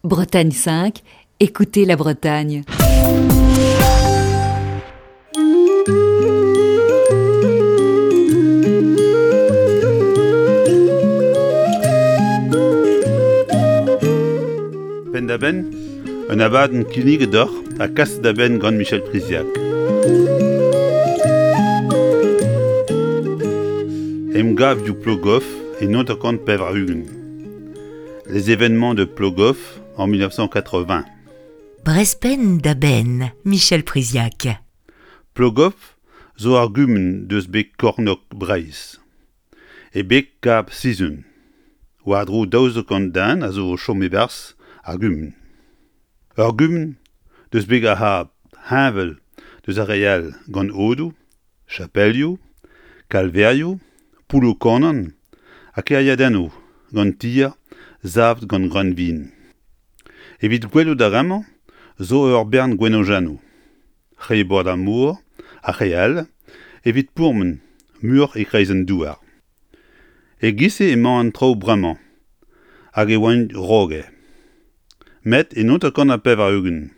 Bretagne 5, écoutez la Bretagne. Penn-da-benn, un abadenn kinniget deoc'h ha kaset da benn gant Michel Priziac. Emgavioù Plogoff e 1980. Les événements de Plogoff en 1980. Brespenn da benn, Michel Priziac. Plogoff zo ar gumun deus beg kornôg Breizh, e beg Kab Sizun. War-dro 1200 den a zo o chom e-barzh ar gumun. Ur gumun deus beg ar C'hab, heñvel deus ar re all gant aodoù, chapelioù, kalverioù, poulloù-kannan ha kêriadennoù gant tier savet gant greunvin. Evit gwelout ar re-mañ zo ur bern gwenojennoù, re bord ar mor ha re all evit pourmen muioc'h e-kreiz an douar. E-giz-se emañ an traoù bremañ hag e oaint roget. Met en 1980,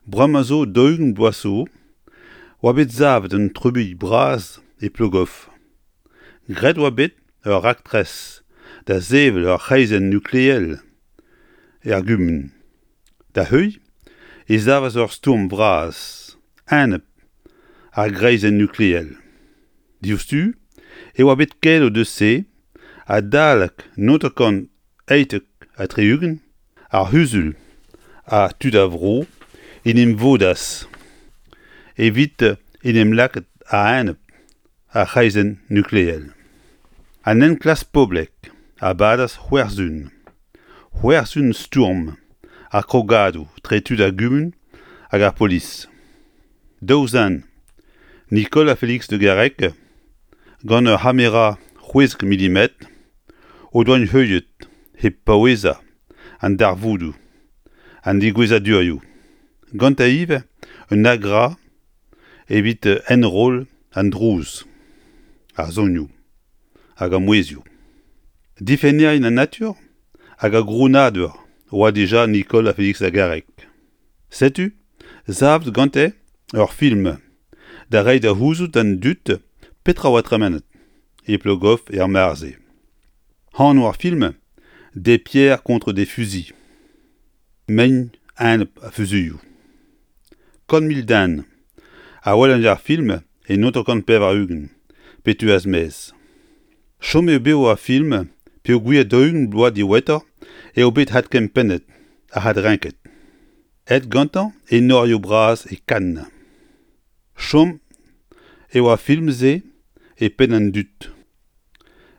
bremañ zo 40 bloaz zo, oa bet savet un trubuilh bras e Plogoff. Graet oa bet ur raktres da sevel ur c'hreizenn nukleel er gumun. Da heuilh e savas ur stourm vras enep ar greizenn nukleel. Diouzhtu e oa bet keloù deus se adalek 1978 ar C'huzul ha tud a vro en em vodas evit en em lakaat a-enep ar c'hreizenn nukleel. An enklask poblek a badas c'hwec'h sizhun. C'hwec'h sizhun stourm ha krogadoù tre tud ar gumun hag ar polis. Daou zen, Nicole ha Félix Le Garrec, gant ur c'hamera 16 milimetr, o doa heuliet hep paouezañ an darvoudoù, an degouezhadurioù. Gantañ ivez un agra evit enroll an drouz, ar sonioù hag ar mouezhioù. Difennerien an natur hag ar grounadur oa dija Nicole ha Félix Lagarec. Setu savet gante ur film da reiñ da c'houzout d'an dud petra oa tremenet e Plogoff er mare-se. Anv ar film Des pierres contre des fusils. Mein enep ar fuzuilhoù. 100 000 den a welan ar film e 1980 pe teuas maez. Chom eo bev ar film peogwir 40 bloaz diwezhatoc'h eo bet adkempennet hag adrenket. Aet gantañ enorioù bras e Cannes. Chom eo ar film-se e penn an dud.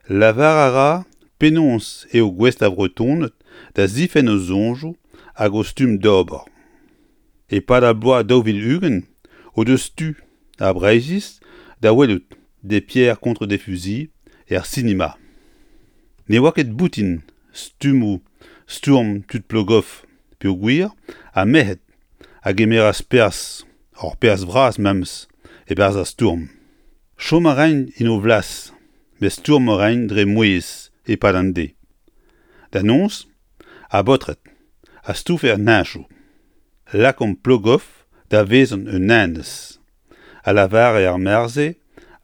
Lavar a ra penaos eo gouest ar Vretoned da zifenn o soñjoù hag o stumm d'ober. E-pad ar bloaz 2020 o deus tu ar Breizhiz da welout Des pierres contre des fusils er sinema. Ne oa ket boutin stummoù stourm tud Plogoff peogwir ar merc'hed a gemeras perzh, ur perzh vras memes, e-barzh ar stourm. Chom a raint en o flas, met stourm a raint dre mouezh e-pad an deiz. Da noz, ar baotred a stoufe an heñchoù. Lakaomp Plogoff da vezañ un enez, a lavare ar mare-se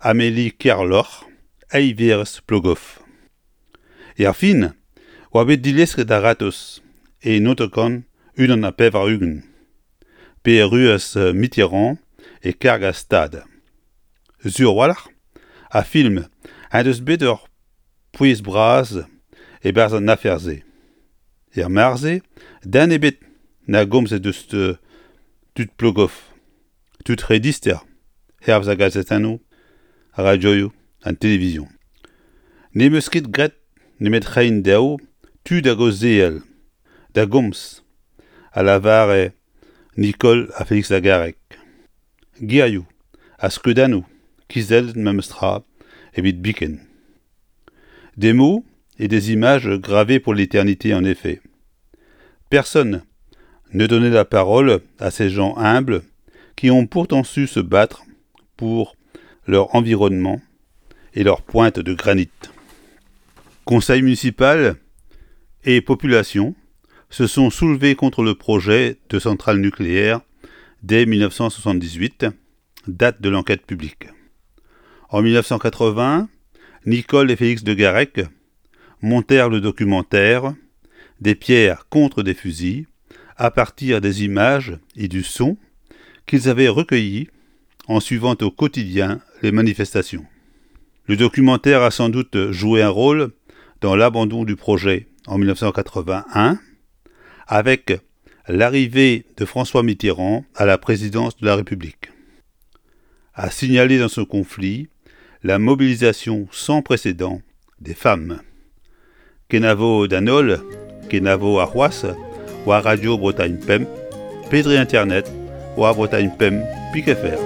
Amélie Kerloc'h, eilverez Plogoff. Erfin oa bet dilesket a-ratozh e 1981 pe erruas Mitterrand e karg ar Stad. Sur a-walc'h, ar film en deus bet ur pouez bras e-barzh an afer-se. Er mare-se, den ebet na gomze deus tud Plogoff, tud re dister, hervez ar gazetennoù, ar radioioù, an televizion. N'em eus ket graet nemet reiñ dezho tu da gaozeal, da gomz, a lavare Nicole ha Félix Lagarec. Gerioù ha skeudennoù kizellet memes tra evit biken. Des mots et des images gravées pour l'éternité en effet. Personne ne donnait la parole à ces gens humbles qui ont pourtant su se battre pour leur environnement et leur pointe de granit. Conseil municipal et population se sont soulevés contre le projet de centrale nucléaire dès 1978, date de l'enquête publique. En 1980, Nicole et Félix de Garrec montèrent le documentaire Des pierres contre des fusils à partir des images et du son qu'ils avaient recueillis en suivant au quotidien les manifestations. Le documentaire a sans doute joué un rôle dans l'abandon du projet en 1981 avec l'arrivée de François Mitterrand à la présidence de la République. A signalé dans ce conflit la mobilisation sans précédent des femmes. Kenavo d'an holl, kenavo arc'hoazh war Radio Bretagne Pemp pe dre internet war Bretagne Pemp pik fr.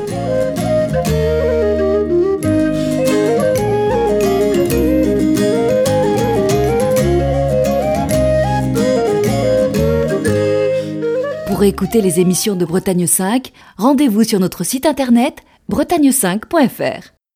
Pour écouter les émissions de Bretagne 5, rendez-vous sur notre site internet bretagne5.fr.